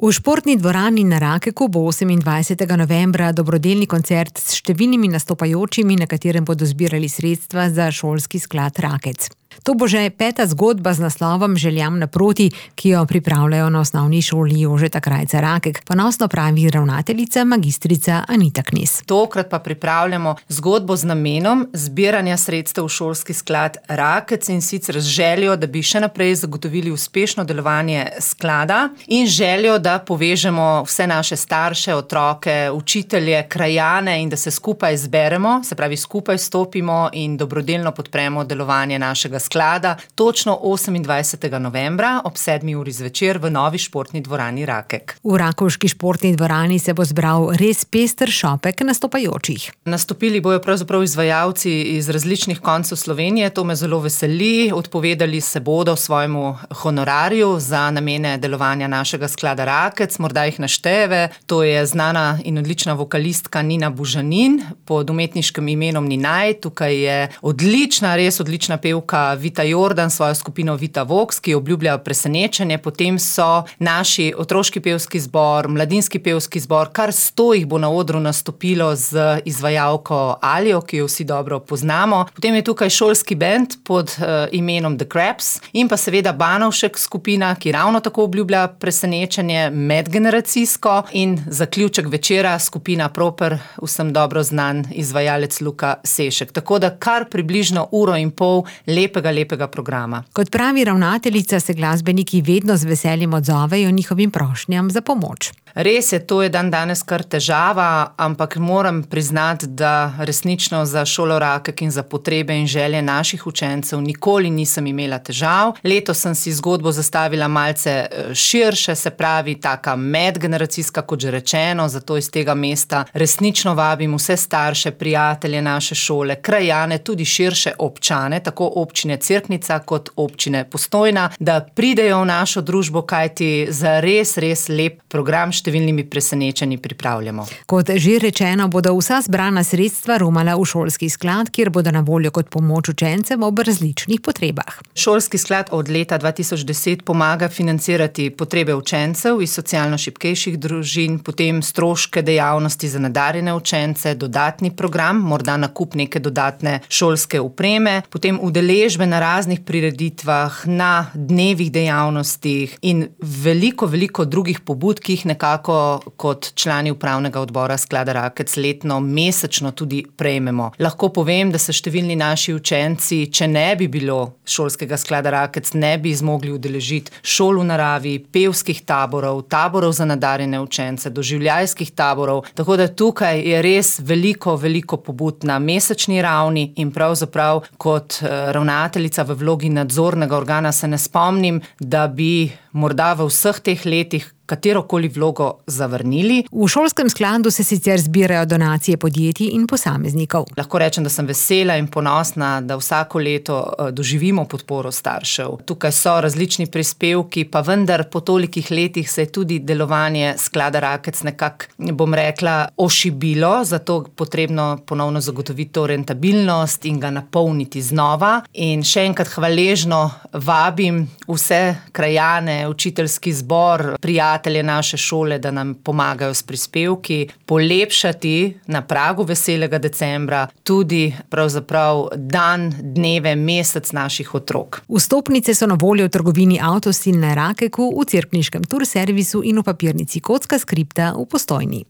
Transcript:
V športni dvorani na Rakeku bo 28. novembra dobrodelni koncert s številnimi nastopajočimi, na katerem bodo zbirali sredstva za šolski sklad Rakec. To bo že 5. zgodba z naslovom Željam naproti, ki jo pripravljajo na osnovni šoli Jožeta Krajca Rakek, ponosno pravi ravnateljica magistrica Anita Knez. Tokrat pa pripravljamo zgodbo z namenom zbiranja sredstev v šolski sklad Rakec in sicer z željo, da bi še naprej zagotovili uspešno delovanje sklada in željo, da povežemo vse naše starše, otroke, učitelje, krajane in da se skupaj zberemo, se pravi skupaj stopimo in dobrodelno podpremo delovanje našega sklada, točno 28. novembra ob 7. uri zvečer v novi športni dvorani Rakek. V rakovški športni dvorani se bo zbral res pester šopek nastopajočih. Nastopili bojo pravzaprav izvajalci iz različnih koncev Slovenije, to me zelo veseli, odpovedali se bodo svojemu honorarju za namene delovanja našega sklada Rakec, morda jih našteve, to je znana in odlična vokalistka Nina Bužanin pod umetniškim imenom Ninaj, tukaj je odlična, res odlična pevka Vita Jordan, svojo skupino Vita Vox, ki obljublja presenečenje, potem so naši otroški pevski zbor, mladinski pevski zbor, kar 100 jih bo na odru nastopilo z izvajalko Alijo, ki jo vsi dobro poznamo. Potem je tukaj šolski bend pod imenom The Crabs in pa seveda Banovšek skupina, ki ravno tako obljublja presenečenje medgeneracijsko in zaključek večera skupina Proper, vsem dobro znan izvajalec Luka Sešek. Tako da kar približno uro in pol lepega programa. Kot pravi ravnateljica, se glasbeniki vedno z veseljem odzovejo njihovim prošnjam za pomoč. Res je, to je danes kar težava, ampak moram priznati, da resnično za šolo Rakek in za potrebe in želje naših učencev nikoli nisem imela težav. Letos sem si zgodbo zastavila malce širše, se pravi taka medgeneracijska, kot že rečeno, zato iz tega mesta resnično vabim vse starše, prijatelje naše šole, krajane, tudi širše občane, tako občine Cerknica kot občine Postojna, da pridejo v našo družbo, kajti za res lep program številnimi presenečenji pripravljamo. Kot že rečeno, bodo vsa zbrana sredstva romala v šolski sklad, kjer bodo na voljo kot pomoč učencem ob različnih potrebah. Šolski sklad od leta 2010 pomaga financirati potrebe učencev iz socialno šibkejših družin, potem stroške dejavnosti za nadarjene učence, dodatni program, morda nakup neke dodatne šolske opreme, potem udeležbe na raznih prireditvah, na dnevih dejavnostih in veliko drugih pobud, ki jih nekako kot člani upravnega odbora sklada Rakec letno, mesečno tudi prejmemo. Lahko povem, da se številni naši učenci, če ne bi bilo šolskega sklada Rakec, ne bi zmogli udeležiti šol v naravi, pevskih taborov, taborov za nadarjene učence, doživljajskih taborov, tako da tukaj je res veliko pobud na mesečni ravni in pravzaprav kot ravnateljica v vlogi nadzornega organa se ne spomnim, da bi morda v vseh teh letih katerokoli vlogo zavrnili. V šolskem skladu se sicer zbirajo donacije podjetij in posameznikov. Lahko rečem, da sem vesela in ponosna, da vsako leto doživimo podporo staršev. Tukaj so različni prispevki, pa vendar po tolikih letih se je tudi delovanje sklada Rakec nekako, bom rekla, ošibilo, zato potrebno ponovno zagotoviti to rentabilnost in ga napolniti znova. In še enkrat hvaležno vabim vse krajane, učiteljski zbor, prijatelje naše šole, da nam pomagajo s prispevki, polepšati na pragu veselega decembra tudi pravzaprav dan, dneve, mesec naših otrok. Vstopnice so na voljo v trgovini Avtostil na Rakeku, v cerkniškem turservisu in v papirnici Kocka skripta v Postojni.